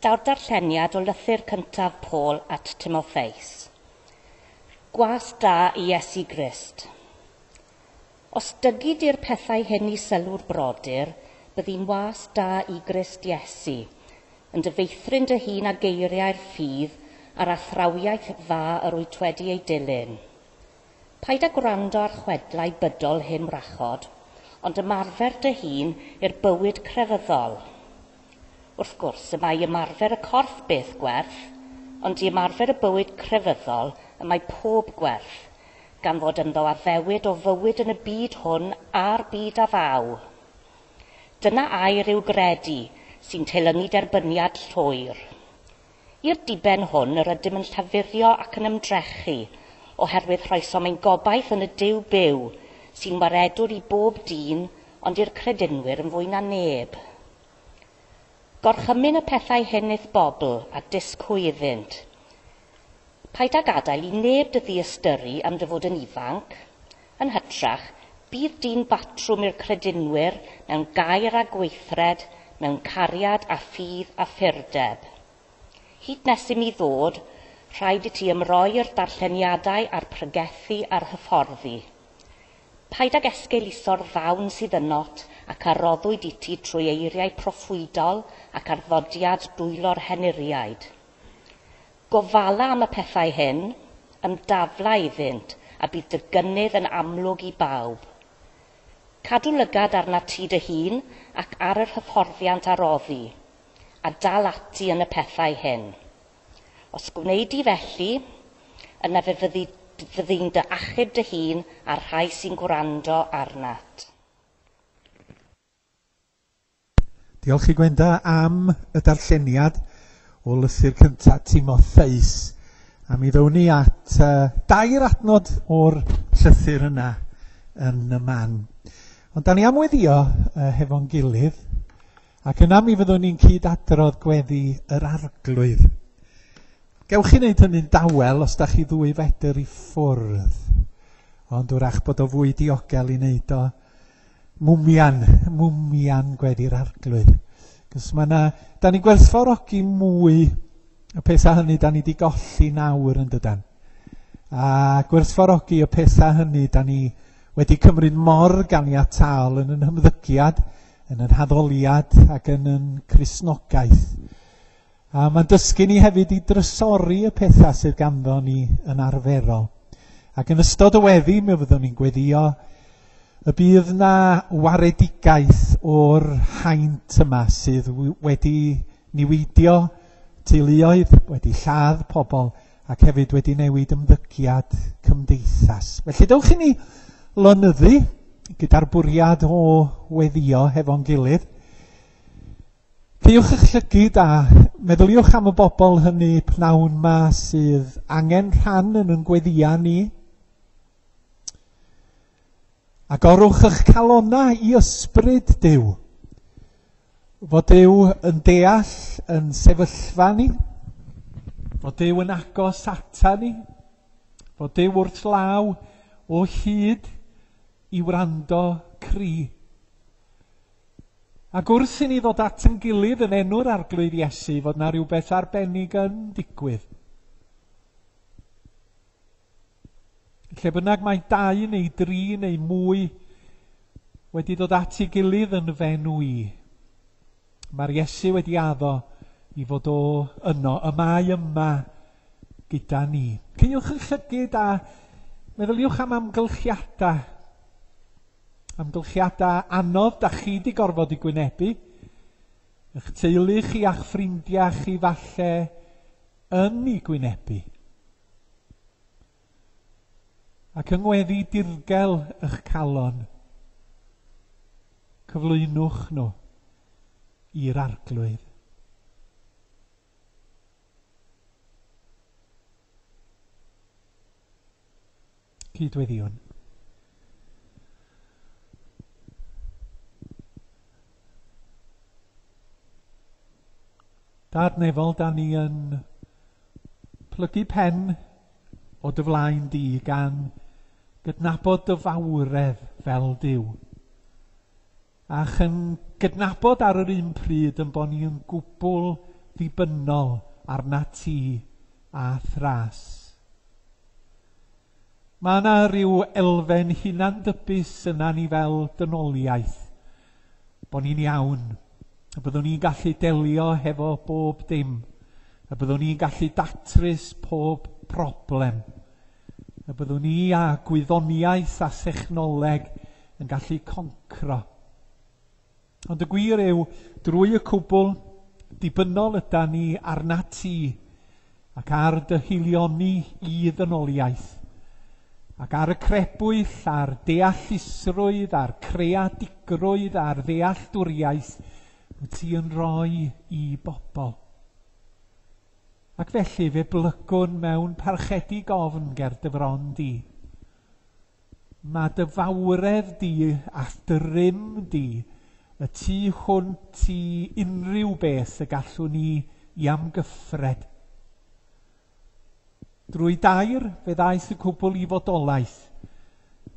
Daw'r darlleniad o lythyr cyntaf Paul at Timotheus. Gwas da i Iesu Grist. Os dygi di'r pethau hyn i sylw'r brodyr, byddi'n was da i Grist Iesu, yn dy feithrin dy hun â geiriau'r ffydd a'r athrawiaeth dda yr wyt wedi ei dilyn. Paid â gwrando ar chwedlau bydol hen wrachod, ond ymarfer dy hun i'r bywyd crefyddol. Wrth gwrs, y mae ymarfer y corff beth gwerth, ond i ymarfer y bywyd crefyddol y mae pob gwerth, gan fod ynddo addewid o fywyd yn y byd hwn a'r byd a ddaw. Dyna air i'w gredu, sy'n teilyngu derbyniad llwyr. I'r diben hwn yr ydym yn llafurio ac yn ymdrechu, oherwydd rhoesom ein gobaith yn y Duw byw, sy'n waredwr i bob dyn, ond i'r credinwyr yn fwy na neb. Gorchymyn y pethau hyn i'th bobl, a dysg hwy iddynt. Paid â gadael i neb dy ddiystyru am dy fod yn ifanc. Yn hytrach, bydd dyn batrwm i'r credinwyr mewn gair a gweithred, mewn cariad a ffydd a phurdeb. Hyd nes i mi ddod, rhaid i ti ymroi i'r darlleniadau a'r pregethu a'r hyfforddi. Paid ag esgeuluso'r ddawn sydd ynot ac a roddwyd i ti trwy eiriau proffwydol ac arddodiad dwylo'r henuriaid. Gofala am y pethau hyn, ymdafla iddynt, a bydd dy gynnydd yn amlwg i bawb. Cadw lygad arnat ti dy hun ac ar yr hyfforddiant a roddi, a dal ati yn y pethau hyn. Os gwnei di felly, yna fe fyddi, fyddi'n dy achub dy hun a'r rhai sy'n gwrando arnat. Diolch i Gwenda am y darlleniad o lythyr cyntaf Timotheus. A mi ddown ni at dair adnod o'r llythyr yna yn y man. Ond da ni am weddio hefo'n gilydd, ac yna mi fyddwn ni'n cyd-adrodd gweddi yr Arglwydd. Gewch chi wneud hynny'n dawel os da chi 2 fedr i ffwrdd, ond wrach bod o fwy diogel i wneud o mwmian gweddi'r Arglwydd. Cos mae 'na, da ni'n gwerthfawrogi mwy y pethau hynny da ni wedi golli nawr yn dydan. A gwerthfawrogi y pethau hynny da ni wedi cymryd mor ganiataol yn yn hymddygiad, yn yn haddoliad ac yn yn Cristnogaeth. A mae'n dysgu ni hefyd i drysori y pethau sydd ganddo ni yn arferol. Ac yn ystod y weddi, mi fyddwn ni'n gweddio y bydd na waredigaeth o'r haint yma sydd wedi niweidio teuluoedd, wedi lladd pobl ac hefyd wedi newid ymddygiad cymdeithas. Felly dewch i ni lonyddu gyda'r bwriad o weddio hefo'n gilydd. Caewch eich llygid a meddyliwch am y bobl hynny pnawn ma sydd angen rhan yn yn gweddia ni. Agorwch eich calonnau i ysbryd Duw. Fod Duw yn deall yn sefyllfa ni, fod Duw yn agos ata ni, fod Duw wrth law o hyd i wrando cri. Ac wrth i ni ddod at yn gilydd yn enw'r Arglwydd Iesu, fod na rhywbeth arbennig yn digwydd. Lle bynnag mae 2 neu 3 neu mwy wedi dod at ei gilydd yn f'enw i, mae'r Iesu wedi addo i fod o yno, y mae yma gyda ni. Caewch eich llygid a meddyliwch am amgylchiadau. Amgylchiadau anodd da chi di gorfod i gwynebu. Eich teulu chi a'ch ffrindiau chi falle yn ei gwynebu. Ac yng ngweddi dirgel eich calon, cyflwynwch nhw i'r Arglwydd. Cydweddiwn. Dad nefol, da ni yn plygu pen o dy flaen di gan gydnabod dy fawredd fel Duw. Ac yn gydnabod ar yr un pryd yn bod ni yn gwbl ddibynnol arna ti a thras. Mae yna rhyw elfen hunandybus yna ni fel dynoliaeth, bod ni'n iawn, y byddwn ni'n gallu delio hefo bob dim, y byddwn ni'n gallu datrys pob problem, y byddwn ni a gwyddoniaeth a thechnoleg yn gallu concro. Ond y gwir yw, drwy y cwbl, dibynnol yda ni arna ti ac ar dy hilioni i ddynoliaeth, ac ar y crebwyll, a'r deallusrwydd, a'r creadigrwydd, a'r ddealltwriaeth wyt ti yn rhoi i bobl. Ac felly fe blygwn mewn parchedig ofn ger dy fron di. Mae dy fawredd di a dy rym di y tu hwnt i unrhyw beth y gallwn ni i amgyffred. Drwy dair fe ddaeth y cwbl i fodolaeth.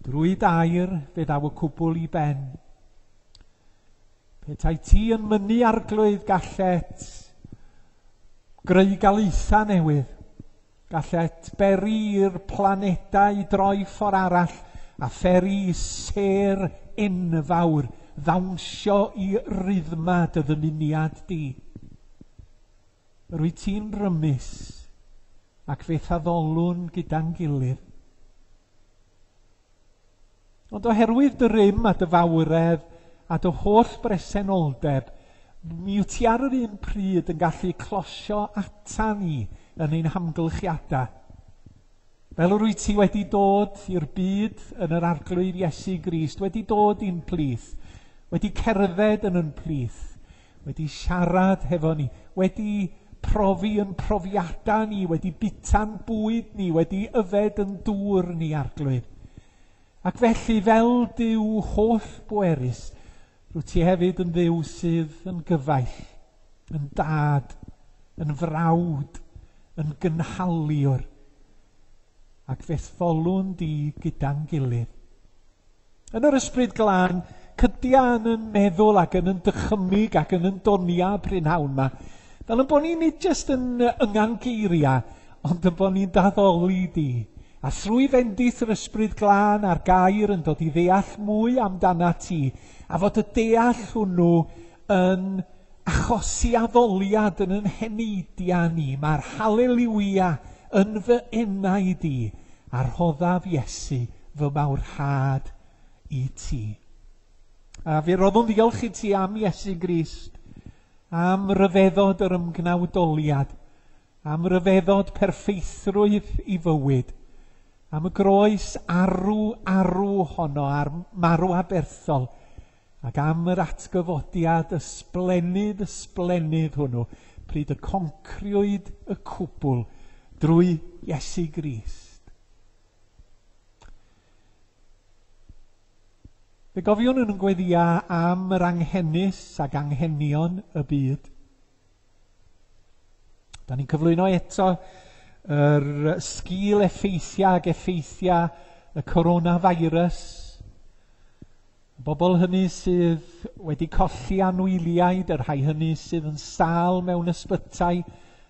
Drwy dair fe ddaw y cwbl i ben. Petai ti yn mynnu arglwydd gallet greu galaethau newydd. Gallet beri i'r planedau droi ffordd arall a pheri sêr enfawr ddawnsio i ryddma dy ddymuniad di. Rwyt ti'n rymus ac fe'th addolwn gyda'n gilydd. Ond oherwydd dy rym a dy fawredd a dy holl bresenoldeb, mi wyt ti ar yr un pryd yn gallu closio ata ni yn ein hamgylchiadau. Fel yr wyt ti wedi dod i'r byd yn yr Arglwydd Iesu Grist, wedi dod i'n plith, wedi cerdded yn yn plith, wedi siarad hefo ni, wedi profi yn profiadau ni, wedi bita'n bwyd ni, wedi yfed yn dŵr ni, Arglwydd. Ac felly, fel Duw holl bwerus, rwyt ti hefyd yn Dduw sydd yn gyfaill, yn dad, yn frawd, yn gynhaliwr, ac fe'th folwn di gyda'n gilydd. Yn yr ysbryd glân, cydia yn yn meddwl ac yn yn dychymyg ac yn yn donia prynhawn yma, fel yn bod ni nid jyst yn yngan geiriau, ond yn bod ni'n daddoli di. A thrwy fendith yr ysbryd glân a'r gair yn dod i ddeall mwy amdana ti, a fod y deall hwnnw yn achosi addoliad yn yn heneidiau ni. Mae'r haleliwia yn fy enau di, a rhoddaf Iesu fy mawrhad i ti. A fe roddwn ddiolch i ti am Iesu Grist, am ryfeddod yr ymgnawdoliad, am ryfeddod perffeithrwydd i fywyd, am y groes arw arw honno a'r marw aberthol, ac am yr atgyfodiad ysblennydd ysblennydd hwnnw, pryd y concriwyd y cwbl drwy Iesu Grist. Fe gofiwn yn gweddia am yr anghenus ac anghenion y byd. Da ni'n cyflwyno eto yr sgil effeithiau ac effeithiau y coronavirus. Y bobl hynny sydd wedi colli anwyliaid, y rhai hynny sydd yn sâl mewn ysbytai,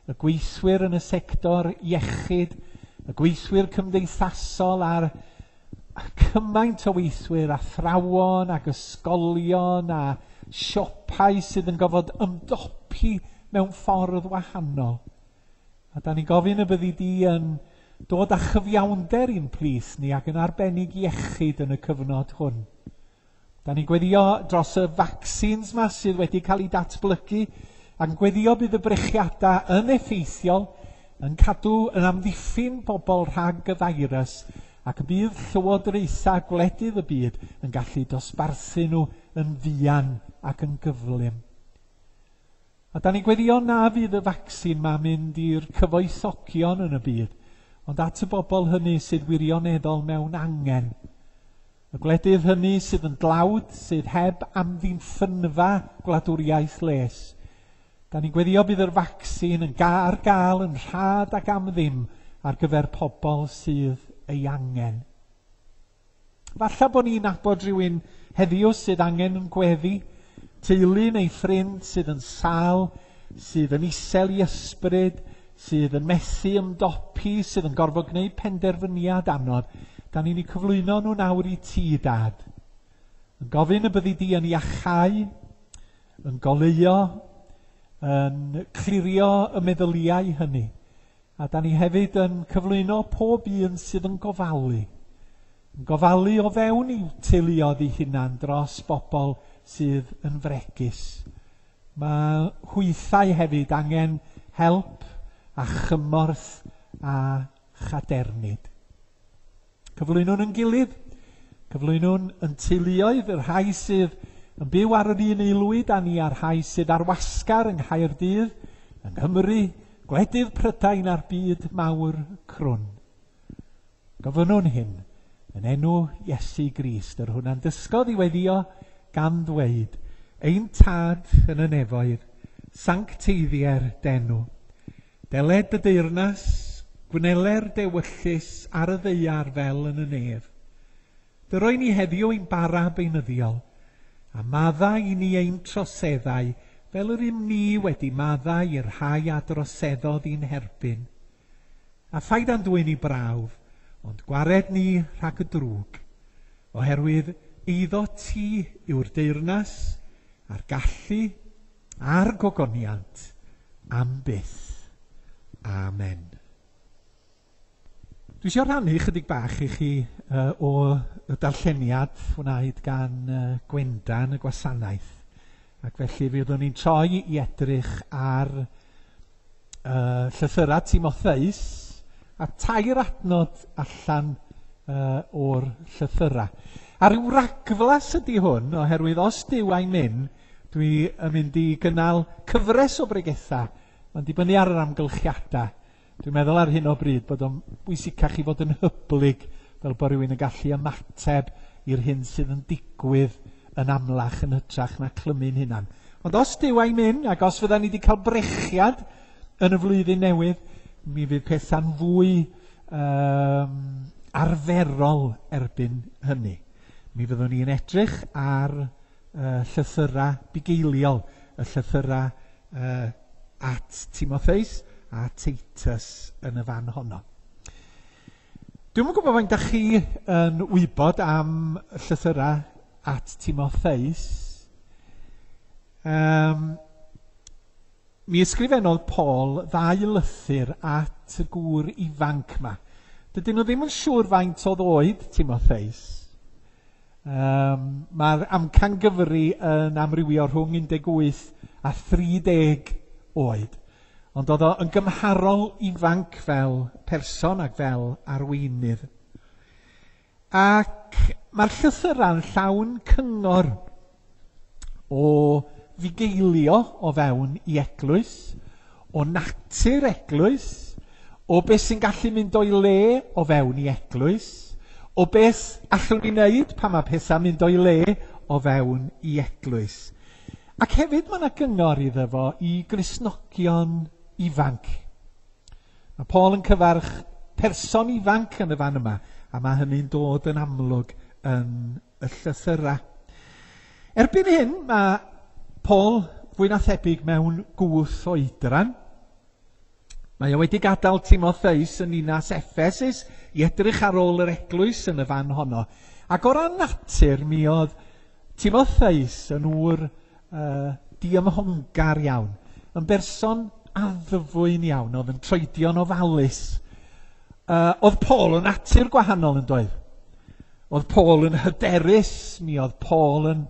y gweithwyr yn y sector iechyd, y gweithwyr cymdeithasol a'r cymaint o weithwyr, athrawon ac ysgolion a siopau sydd yn gofod ymdopi mewn ffordd wahanol. A da ni'n gofyn y byddi di yn dod â chyfiawnder i'n plith ni ac yn arbennig iechyd yn y cyfnod hwn. Da ni'n gweddio dros y vaccines ma sydd wedi cael eu datblygu, ac yn gweddio bydd y brechiadau yn effeithiol, yn cadw yn amddiffyn bobl rhag y virus, ac y bydd llywodraethau gwledydd y byd yn gallu dosbarthu nhw yn fuan ac yn gyflym. A da ni'n gweddio na fydd y vaccine ma'n mynd i'r cyfoethogion yn y byd, ond at y bobl hynny sydd wirioneddol mewn angen. Y gwledydd hynny sydd yn dlawd, sydd heb amddiffynfa gwladwriaeth les. Da ni'n gweddio bydd yr vaccine yn ar gael yn rhad ac am ddim ar gyfer pobl sydd ei angen. Falle bod ni'n nabod rhywun heddiw sydd angen yn gweddi, teulu neu ffrind sydd yn sâl sydd yn isel i ysbryd, sydd yn methu ymdopi, sydd yn gorfod gwneud penderfyniad anodd. Da ni'n eu cyflwyno nhw nawr i ti, Dad. Yn gofyn y byddi di yn iachau, yn goleuo, yn clirio y meddyliau hynny. A da ni hefyd yn cyflwyno pob un sydd yn gofalu. Yn gofalu o fewn i'w teuluoedd eu hunan dros bobl sydd yn fregus. Mae hwythau hefyd angen help a chymorth a chadernid. Cyflwynwn yn gilydd, cyflwynwn yn teuluoedd, y rhai sydd yn byw ar yr un aelwyd â ni a'r rhai sydd ar wasgar yng Nghaerdydd, yng Nghymru, gwledydd Prydain a'r byd mawr crwn. Gofynnwn hyn yn enw Iesu Grist, yr hwn a'n dysgodd i weddïo gan ddweud, Ein Tad yn y nefoedd, sancteiddier d'enw. Deled dy deyrnas, gwneler d'ewyllys ar y ddaear fel yn y nef. Dyroi ni heddiw ein bara beunyddiol, a maddau i ni ein troseddau fel yr ym ni wedi maddau i'r rhai a droseddodd i'n herbyn. A phaid â'n dwyn i brawf, ond gwared ni rhag y drwg, oherwydd eiddo ti yw'r deyrnas, a'r gallu, a'r gogoniant, am byth. Amen. Dwi eisiau rhannu chydig bach i chi o y darlleniad wnaed gan Gwenda yn y gwasanaeth. Ac felly fyddwn ni'n troi i edrych ar llythyrau Timotheus a tair adnod allan o'r llythyrau. A rhyw ragflas ydy hwn, oherwydd os Duw a'i myn, dwi yn mynd i gynnal cyfres o bregethau. Mae'n dibynnu ar yr amgylchiadau. Dwi'n meddwl ar hyn o bryd bod o'n bwysicach i fod yn hyblyg, fel bod rhywun yn gallu ymateb i'r hyn sydd yn digwydd yn amlach yn hytrach na clymu'n hunan. Ond os Duw a'i myn, ac os fydda ni wedi cael brechiad yn y flwyddyn newydd, mi fydd pethau'n fwy arferol erbyn hynny. Mi fyddwn ni'n edrych ar llythyrau bugeiliol, y llythyrau at Timotheus a Titus yn y fan honno. Dwi'm yn gwybod faint da chi yn wybod am llythyrau at Timotheus. Mi ysgrifennodd Paul ddau lythyr at y gŵr ifanc ma. Dydyn nhw ddim yn siŵr faint oedd oed Timotheus. Mae'r amcangyfri yn amrywio rhwng 18 a 30 oed. Ond oedd o yn gymharol ifanc fel person ac fel arweinydd. Ac mae'r llythyrau'n llawn cyngor o fugeilio o fewn i eglwys, o natur eglwys, o beth sy'n gallu mynd o'i le o fewn i eglwys, o beth allwn ni wneud pan mae pethau'n mynd o'i le o fewn i eglwys. Ac hefyd mae yna gyngor iddo fo i Gristnogion ifanc. Mae Paul yn cyfarch person ifanc yn y fan yma, a mae hynny'n dod yn amlwg yn y llythyrau. Erbyn hyn, mae Paul fwy na thebyg mewn gwth oedran. Mae o wedi gadael Timotheus yn ninas Ephesus i edrych ar ôl yr eglwys yn y fan honno. Ac o ran natur, mi oedd Timotheus yn ŵr diymhongar iawn, yn berson addfwyn iawn, oedd yn troedio'n ofalus. Oedd Paul yn natur gwahanol yn doedd? Oedd Paul yn hyderus, mi oedd Paul yn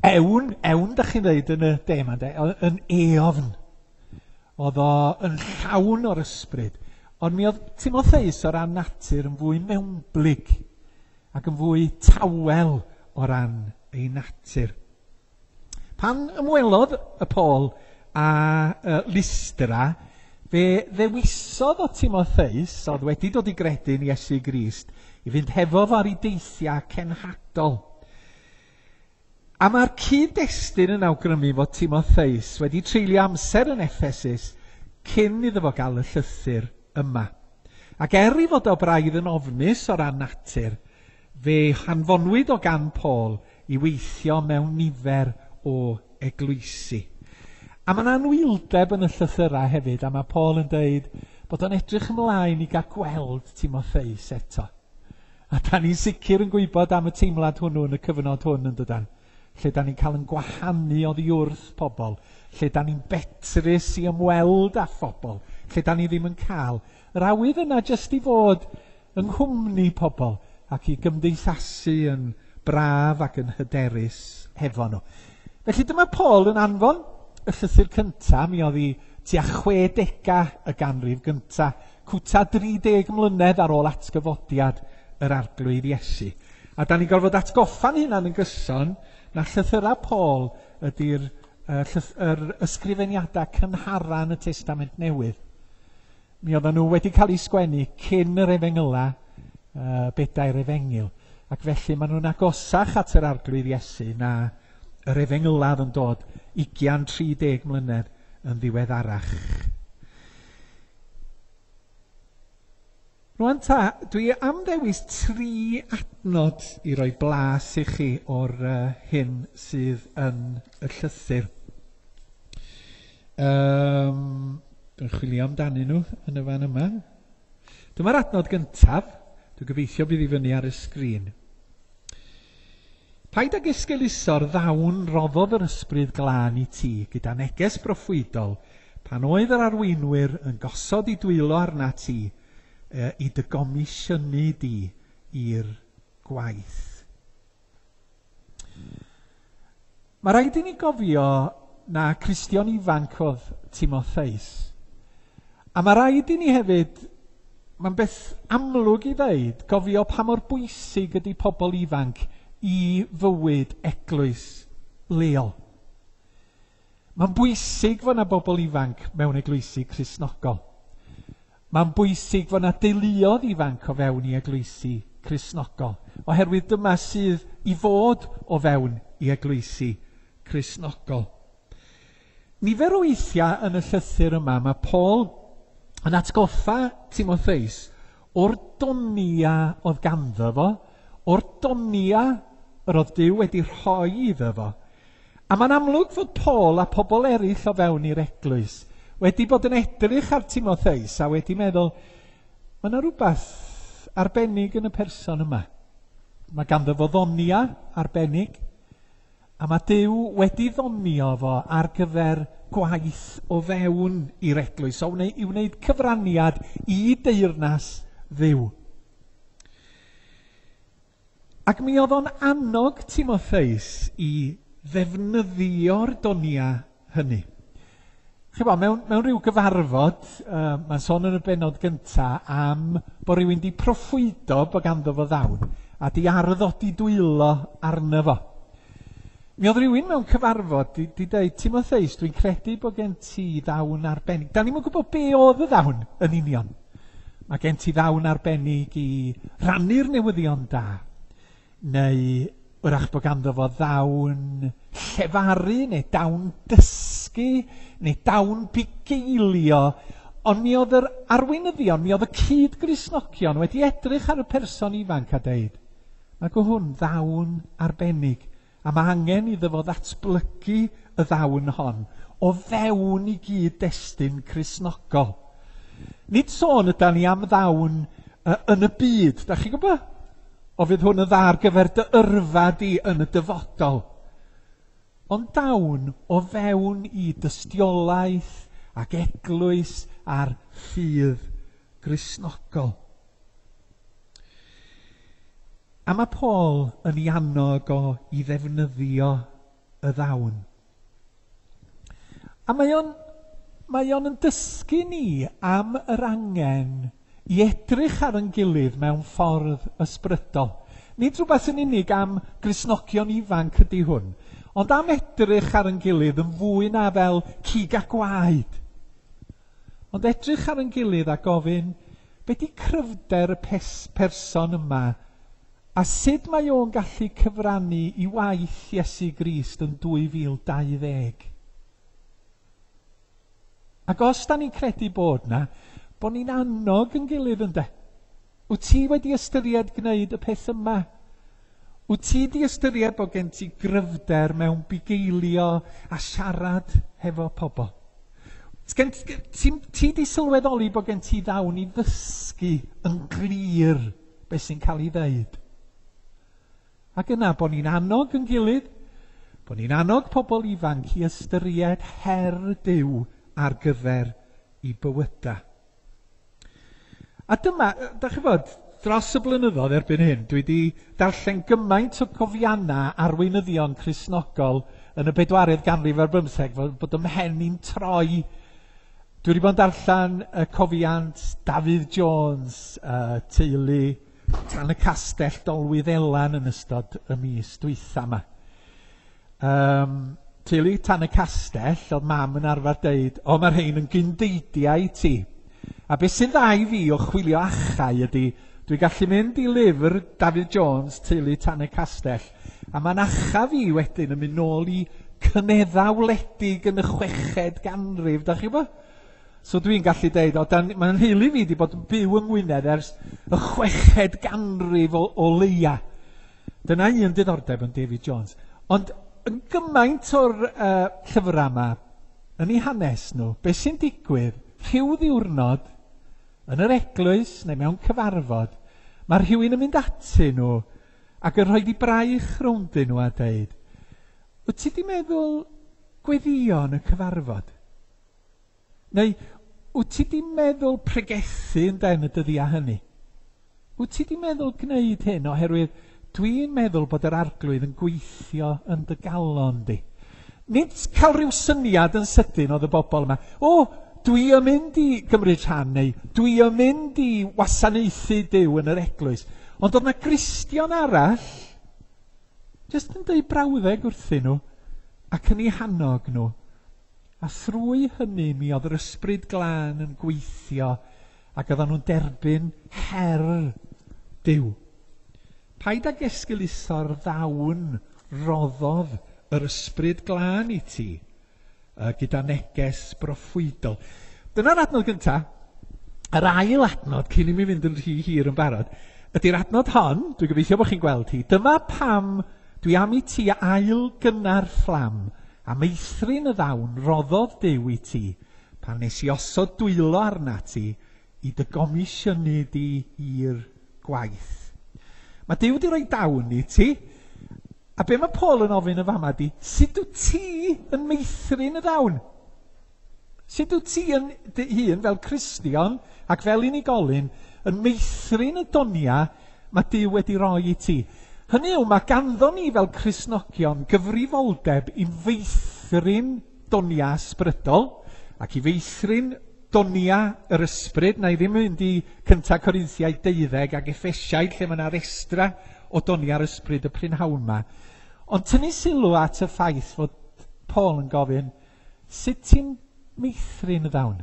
ewn, ewn da chi'n dweud yn y de yma, de, yn eofn. Oedd o yn llawn o'r ysbryd. Ond mi oedd Timotheus o ran natur yn fwy mewnblyg ac yn fwy tawel o ran ei natur. Pan ymwelodd y Paul a Lystra, fe ddewisodd o Timotheus, oedd wedi dod i gredu'n Iesu Grist, i fynd hefo fo ar ei deithiau cenhadol. A mae'r cyd-destun yn awgrymu fod Timotheus wedi treulio amser yn Ephesus cyn iddo fo gael y llythyr yma. Ac er ei fod o braidd yn ofnus o ran natur, fe hanfonwyd o gan Paul i weithio mewn nifer o eglwysi. A mae 'na anwyldeb yn y llythyrau hefyd, a mae Paul yn deud bod o'n edrych ymlaen i gael gweld Timotheus eto. A da ni'n sicr yn gwybod am y teimlad hwnnw yn y cyfnod hwn yn dydan, lle da ni'n cael yn gwahanu oddi wrth pobl, lle da ni'n betrus i ymweld â phobl, lle da ni ddim yn cael yr awydd yna jyst i fod yng nghwmni pobl ac i gymdeithasu yn braf ac yn hyderus hefo nhw. Felly dyma Paul yn anfon y llythyr cyntaf, mi oedd hi tua 60au y ganrif gyntaf, cwta 30 mlynedd ar ôl atgyfodiad yr Arglwydd Iesu. A da ni'n gorfod atgoffa'n hunan yn gyson na llythyrau Paul ydy'r yr ysgrifeniadau cynhara yn y Testament Newydd. Mi oedden nhw wedi cael eu sgwennu cyn yr efengyla, bedair efengyl, ac felly maen nhw'n agosach at yr Arglwydd Iesu na yr efengyla oedd yn dod 20-30 mlynedd yn ddiweddarach. Rwan ta, dwi am ddewis 3 adnod i roi blas i chi o'r hyn sydd yn y llythyr. Dwi'n chwilio amdanyn nhw yn y fan yma. Dyma'r adnod gyntaf. Dwi'n gobeithio bydd i fyny ar y sgrin. Paid ag esgeuluso'r ddawn roddodd yr ysbryd glân i ti gyda neges broffwydol pan oedd yr arweinwyr yn gosod i dwylo arna ti i dy gomisiynu di i'r gwaith. Mae rhaid i ni gofio na Cristion ifanc oedd Timotheus. A mae rhaid i ni hefyd, mae'n beth amlwg i ddeud, gofio pa mor bwysig ydy pobl ifanc i fywyd eglwys leol. Mae'n bwysig fod yna bobl ifanc mewn eglwysi Cristnogol. Mae'n bwysig fod yna deuluoedd ifanc o fewn i eglwysi Cristnogol, oherwydd dyma sydd i fod o fewn i eglwysi Cristnogol. Nifer o weithiau yn y llythyr yma, mae Paul yn atgoffa Timotheus o'r donia oedd ganddo fo, o'r donia yr oedd Duw wedi rhoi iddo fo. A mae'n amlwg fod Paul a pobl eraill o fewn i'r eglwys wedi bod yn edrych ar Timotheus a wedi meddwl, mae yna rhywbeth arbennig yn y person yma. Mae ganddo fo ddonia arbennig, a mae Duw wedi ddonio fo ar gyfer gwaith o fewn i'r eglwys, o i wneud cyfraniad i deyrnas Dduw. Ac mi oedd o'n annog Timotheus i ddefnyddio'r donia hynny. Chibod, mewn rhyw gyfarfod, mae'n sôn yn y bennod gynta am bod rhywun di proffwydo bod ganddo fo ddawn a di arddodi dwylo arno fo. Mi oedd rhywun mewn cyfarfod di dweud, Timotheus, dwi'n credu bod gen ti ddawn arbennig. Da ni'm yn gwybod be oedd y ddawn yn union. Mae gen ti ddawn arbennig i rannu'r newyddion da, neu wrach bod ganddo fo ddawn llefaru, neu dawn dysgu, neu dawn bugeilio. Ond mi oedd yr arweinyddion, mi oedd y cyd-Gristnogion wedi edrych ar y person ifanc a deud, mae go hwn ddawn arbennig, a mae angen iddo fo ddatblygu y ddawn hon o fewn i gyd-destun Cristnogol. Nid sôn ydan ni am ddawn yn y byd, da chi'n gwybod? O fydd hwn yn dda ar gyfer dy yrfa di yn y dyfodol. Ond dawn o fewn i dystiolaeth ac eglwys a'r ffydd Gristnogol. A mae Paul yn ei annog o i ddefnyddio y ddawn. A mae o'n yn dysgu ni am yr angen i edrych ar ein gilydd mewn ffordd ysbrydol. Nid rhywbeth yn unig am Gristnogion ifanc ydy hwn, ond am edrych ar ein gilydd yn fwy na fel cig a gwaed. Ond edrych ar ein gilydd a gofyn, be di cryfder y person yma, a sut mae o'n gallu cyfrannu i waith Iesu Grist yn 2020? Ac os da ni'n credu bod na, bod ni'n annog yn gilydd ynde. Wyt ti wedi ystyried gwneud y peth yma? Wyt ti di ystyried bod gen ti gryfder mewn bugeilio a siarad hefo pobl? Gen, ti, ti di sylweddoli bod gen ti ddawn i ddysgu yn glir beth sy'n cael ei ddeud? Ac yna bod ni'n annog yn gilydd, bod ni'n annog pobl ifanc i ystyried her Duw ar gyfer i bywyda. A dyma, da chi fod, dros y blynyddoedd erbyn hyn, dwi wedi darllen gymaint o gofiannau arweinyddion Cristnogol yn y bedwaredd ganrif ar bymtheg, fod, bod ym mhen i'n troi. Dwi wedi bod yn darllen y cofiant Dafydd Jones, teulu Tan y Castell Dolwyddelan yn ystod y mis dwytha yma. Teulu Tan y Castell, oedd mam yn arfer deud, o, mae'r rhain yn gyndeidiau i ti. A beth sy'n dda i fi o chwilio achau ydy, dwi'n gallu mynd i lyfr Dafydd Jones, Teulu Tan y Castell, a mae'n acha fi wedyn yn mynd nôl i cynedda wledig yn y 6fed ganrif, da chi bo? So dwi'n gallu deud, o, mae'n nheulu fi wedi bod yn byw yng Ngwynedd ers y 6fed ganrif o leia. Dyna un diddordeb yn David Jones. Ond yn gymaint o'r llyfrau yma, yn eu hanes nhw, beth sy'n digwydd, rhyw ddiwrnod, yn yr eglwys neu mewn cyfarfod, mae rhywun yn mynd atyn nhw ac yn rhoi di braich rowndyn nhw a deud, wyt ti di meddwl gweddio yn y cyfarfod? Neu, wyt ti di meddwl pregethu yn den y dyddiau hynny? Wyt ti di meddwl gwneud hyn oherwydd dwi'n meddwl bod yr Arglwydd yn gweithio yn dy galon di? Nid cael rhyw syniad yn sydyn oedd y bobl yma. O, dwi yn mynd i gymryd rhan neu dwi yn mynd i wasanaethu Duw yn yr eglwys. Ond oedd yna Gristion arall jyst yn deud brawddeg wrthyn nhw ac yn eu hannog nhw. A thrwy hynny mi oedd yr Ysbryd Glân yn gweithio ac oedden nhw'n derbyn her Duw. Paid ag esgeuluso'r ddawn roddodd yr Ysbryd Glân i ti gyda neges broffwydol. Dyna'r adnod gyntaf. Yr ail adnod, cyn i mi fynd yn rhy hir yn barod, ydy'r adnod hon, dwi'n gobeithio bod chi'n gweld hi. Dyma pam dwi am i ti ail gynna'r fflam a meithrin y ddawn roddodd Duw i ti pan nes i osod dwylo arna ti i dy gomisiynu di i'r gwaith. Mae Duw wedi rhoi dawn i ti, a be mae Paul yn ofyn y fama di, sut wyt ti yn meithrin y ddawn? Sut wyt ti yn dy hun fel Cristion ac fel unigolyn yn meithrin y donia mae Duw wedi roi i ti? Hynny yw, mae ganddo ni fel Cristnogion gyfrifoldeb i feithrin donia ysbrydol ac i feithrin donia yr ysbryd. Na i ddim mynd i 1 Corinthiaid 12 ac Effesiaid lle mae yna restra o donia'r ysbryd y prynhawn yma. Ond tynnu sylw at y ffaith fod Paul yn gofyn, sut ti'n meithrin y ddawn?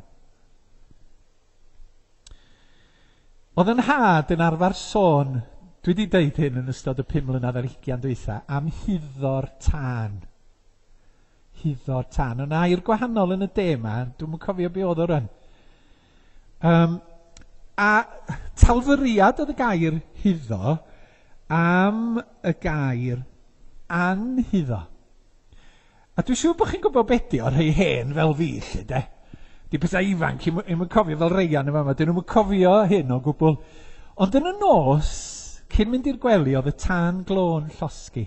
Oedd yn nhad yn arfer sôn, dwi wedi deud hyn yn ystod y 5 mlynedd ar 20 dwytha, am huddo'r tân. Huddo'r tân. Yna air gwahanol yn y de yma, dwi'm yn cofio be oedd o rwan. A talfyriad oedd y gair huddo am y gair anhuddo. A dwi'n siŵr bod chi'n gwybod be di o'r rhai hen fel fi, lle de. Di pethau ifanc, i'm yn cofio fel Reian yma, dyn nhw'm yn cofio hyn o gwbl. Ond yn y nos, cyn mynd i'r gwely, oedd y tân glo'n llosgi.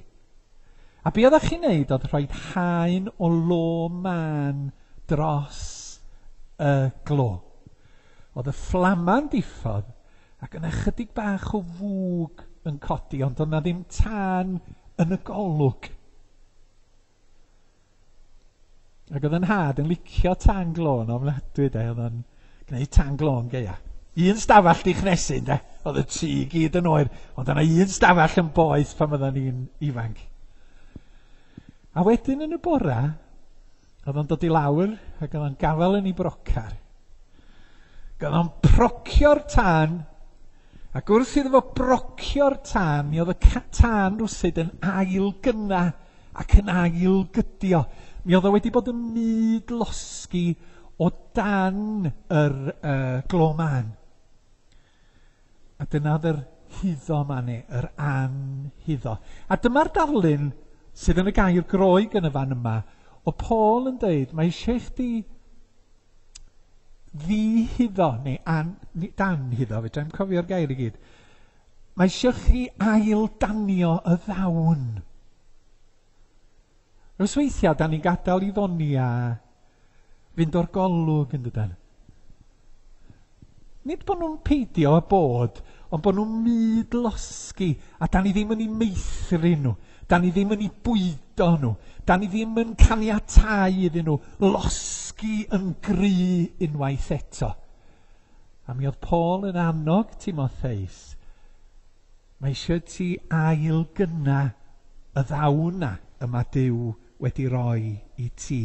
A be oeddech chi'n neud oedd rhoi haen o lo mân dros y glo. Oedd y fflama'n diffodd ac yna chydig bach o fwg yn codi, ond oedd 'na ddim tân yn y golwg. Ac oedd yn nhad yn licio tân glo yn ofnadwy, de, oedd o'n gwneud tân glo'n gaea. Un stafell di chnesu, de, oedd y tŷ i gyd yn oer, ond yna un stafell yn boeth pan oedden ni'n ifanc. A wedyn yn y bora, oedd o'n dod i lawr ac oedd o'n gafael yn ei brocar. Ac oedd o'n procio'r tân, ac wrth iddo fo brocio'r tân, mi oedd y tân rwsyd yn ail gynna ac yn ail gydio. Mi oedd o wedi bod yn myd losgi o dan yr glo mân. A dyna oedd yr huddo 'ma neu yr anhuddo. A dyma'r darlun sydd yn y gair Groeg yn y fan yma, o Paul yn deud, mae eisiau i chdi ddihuddo, neu an, danhuddo, fedrai'm cofio'r gair i gyd. Mae eisiau chi ail-danio y ddawn. Rhys weithiau, da ni'n gadael i ddonia fynd o'r golwg yn dydan. Nid bod nhw'n peidio â bod, ond bod nhw'n myd losgi, a da ni ddim yn eu meithrin nhw, da ni ddim yn eu bwydo nhw, da ni ddim yn caniatáu iddyn nhw losgi yn gry unwaith eto. A mi oedd Paul yn annog Timotheus, mae eisiau ti ail-gynna y ddawn 'na y mae Duw wedi roi i ti.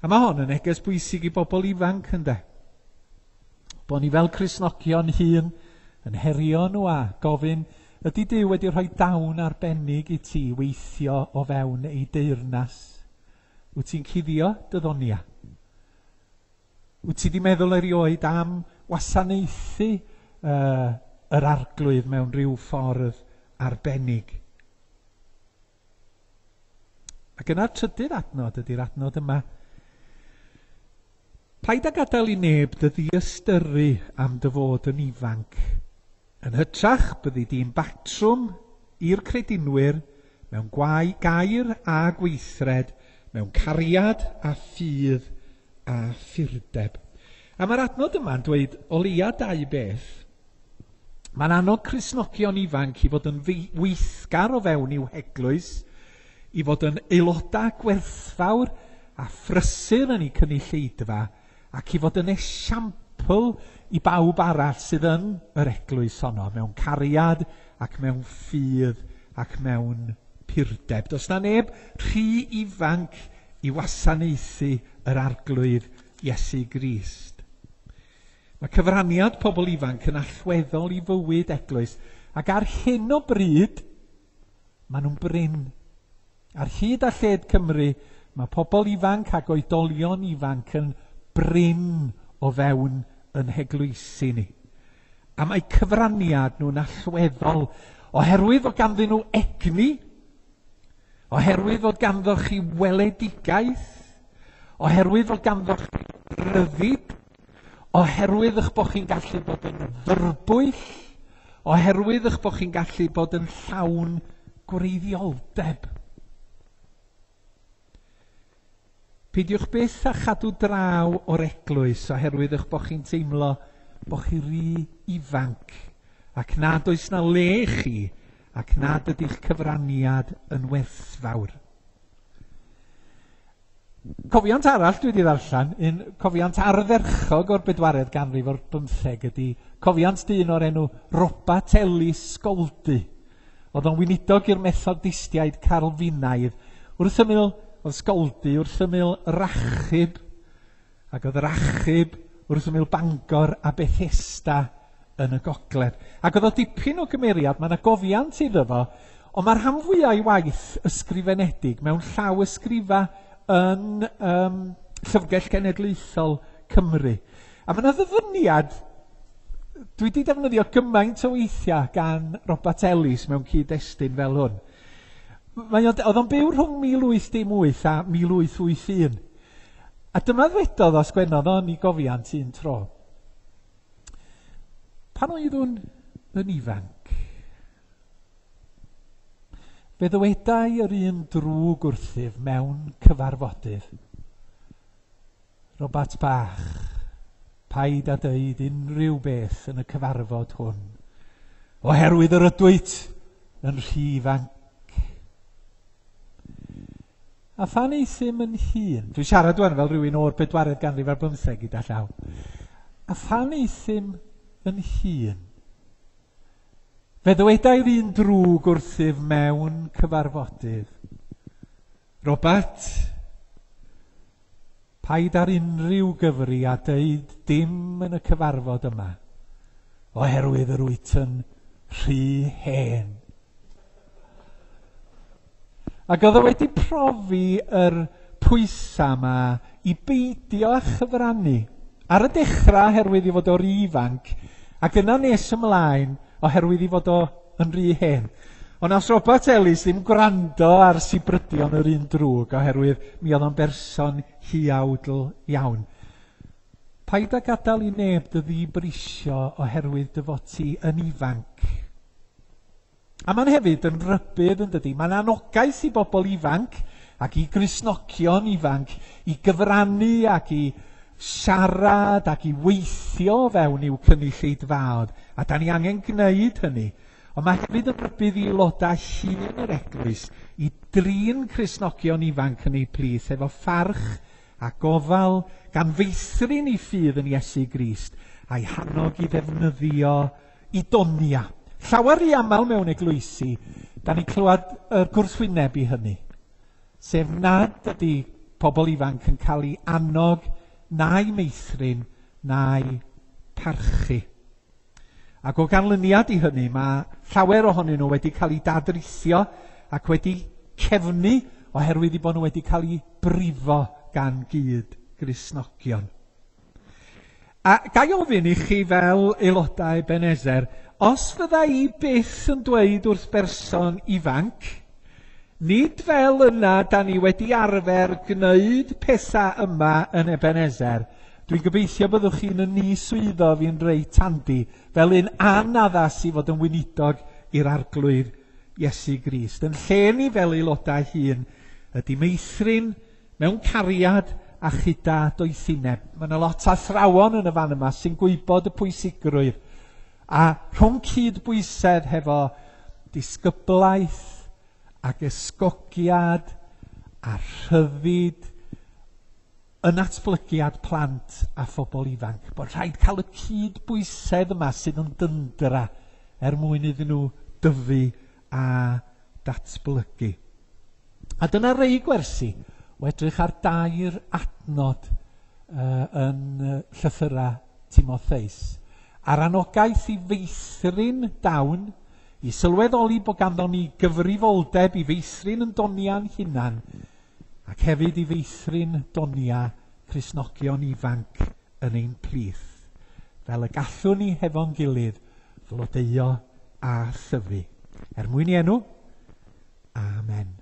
A mae hon yn neges bwysig i bobl ifanc, ynde? Bod ni fel Cristnogion hun yn herio nhw a gofyn, ydy Duw wedi rhoi dawn arbennig i ti weithio o fewn ei deyrnas? Wyt ti'n cuddio dy ddonia? Wyt ti wedi meddwl erioed am wasanaethu uh, yr arglwydd mewn rhyw ffordd arbennig? Ac yna'r trydydd adnod ydy'r adnod yma. Paid â gadael i neb dy ddiystyru am dy fod yn ifanc. Yn hytrach, byddi di'n batrwm i'r credinwyr mewn gwau gair a gweithred, mewn cariad a ffydd a phurdeb. A mae'r adnod yma'n dweud o leia dau beth. Mae'n annog Cristnogion ifanc i fod yn weithgar o fewn i'w heglwys, i fod yn aelodau gwerthfawr a phrysur yn eu cynulleidfa, ac i fod yn esiampl i bawb arall sydd yn yr eglwys honno, mewn cariad ac mewn ffydd ac mewn purdeb. Does na neb rhy ifanc i wasanaethu yr Arglwydd Iesu Grist. Mae cyfraniad pobl ifanc yn allweddol i fywyd eglwys, ac ar hyn o bryd, maen nhw'n brin. Ar hyd a lled Cymru, mae pobl ifanc ac oedolion ifanc yn brin o fewn yn heglwysi ni. A mae cyfraniad nhw'n allweddol oherwydd fod ganddyn nhw egni, oherwydd fod ganddo chi weledigaeth, oherwydd fod ganddo chi ryddid, oherwydd eich bod chi'n gallu bod yn fyrbwyll, oherwydd eich bod chi'n gallu bod yn llawn gwreiddioldeb. Peidiwch byth â chadw draw o'r eglwys oherwydd eich bod chi'n teimlo bod chi rhy ifanc ac nad oes na le i chi ac nad ydy'ch cyfraniad yn werthfawr. Cofiant arall dwi wedi ddarllen, un cofiant ardderchog o'r bedwaredd ganrif o'r bymtheg ydy cofiant dyn o'r enw Robat Ellis Scoldy. Oedd o'n weinidog i'r Methodistiaid Calfinaidd. Wrth ymyl, oedd Scoldy wrth ymyl Rachub, ac oedd Rachub wrth ymyl Bangor a Bethesda yn y gogledd. Ac oedd o dipyn o gymeriad, mae yna gofiant iddo fo, ond mae'r rhan fwyaf o'i waith ysgrifenedig mewn llaw ysgrifa yn um, Llyfrgell Genedlaethol Cymru. A mae yna ddyfyniad, dwi wedi defnyddio gymaint o weithiau gan Robert Ellis mewn cyd-destun fel hwn. Mae o, oedd o'n byw rhwng 1818 a 1881. A dyma ddwedodd o, sgwennodd o'n i gofiant un tro. Pan oeddwn yn ifanc, fe ddywedai yr un drwg wrthyf mewn cyfarfodydd. Robat bach, paid â dweud unrhyw beth yn y cyfarfod hwn, oherwydd yr ydwyt yn rhy ifanc. A phan euthum yn hŷn, dwi'n siarad wan fel rhywun o'r bedwaredd ganrif ar bymtheg gyda llaw. A phan euthum yn hŷn, fe ddywedai'r un drwg wrthyf mewn cyfarfodydd. Robert, paid ar unrhyw gyfri a deud dim yn y cyfarfod yma, oherwydd yr wyt yn rhy hen. Ac oedd o wedi profi yr pwysau yma i beidio â chyfrannu. Ar y dechrau, oherwydd i fod o'r ifanc, ac yna nes ymlaen, oherwydd i fod o yn rhy hen. Ond nath Robert Ellis ddim gwrando ar sibrydion yr un drwg oherwydd mi oedd o'n berson huawdl iawn. Paid â gadael i neb dy ddibrisio oherwydd dy fod ti yn ifanc. A mae'n hefyd yn rybudd yn dydy. Mae'n anogaeth i bobl ifanc ac i Gristnogion ifanc i gyfrannu ac i siarad ac i weithio fewn i'w cynulleidfaoedd. A da ni angen gwneud hynny. Ond mae hefyd yn rybudd i aelodau hŷn yr eglwys i drin Cristnogion ifanc yn eu plith efo pharch a gofal gan feithrin eu ffydd yn Iesu Grist a'i hannog i ddefnyddio i donia. Llawer rhy aml mewn eglwysi, da ni'n clywed y gwrthwyneb i hynny. Sef nad ydy pobl ifanc yn cael ei annog na'i meithrin na'i parchu. Ac o ganlyniad i hynny, mae llawer ohonyn nhw wedi cael eu dadrithio ac wedi cefnu oherwydd eu bod nhw wedi cael eu brifo gan gyd Gristnogion. A ga i ofyn i chi fel aelodau Ebenezer, os fydda i byth yn dweud wrth berson ifanc, nid fel yna da ni wedi arfer gwneud pethau yma yn Ebenezer, dwi'n gobeithio byddwch chi'n yn ni-swyddo fi'n reit handi, fel un anaddas i fod yn weinidog i'r Arglwydd Iesu Grist. Yn lle ni fel aelodau hŷn ydy meithrin mewn cariad a chyda doethineb. Mae yna lot o athrawon yn y fan yma sy'n gwybod y pwysigrwydd. A rhwng cydbwysedd hefo disgyblaeth ac ysgogiad a rhyddid yn natblygiad plant a phobl ifanc. Bod rhaid cael y cydbwysedd yma sydd yn dyndra er mwyn iddyn nhw dyfu a datblygu. A dyna rei gwersi o edrych ar dair adnod yn llythyrau Timotheus. A'r anogaeth i feithrin dawn, i sylweddoli bod ganddon ni gyfrifoldeb i feithrin yn doniau'n hunan, ac hefyd i feithrin donia Cristnogion ifanc yn ein plith, fel y gallwn ni hefo'n gilydd flodeuo a thyfu. Er mwyn i enw, amen.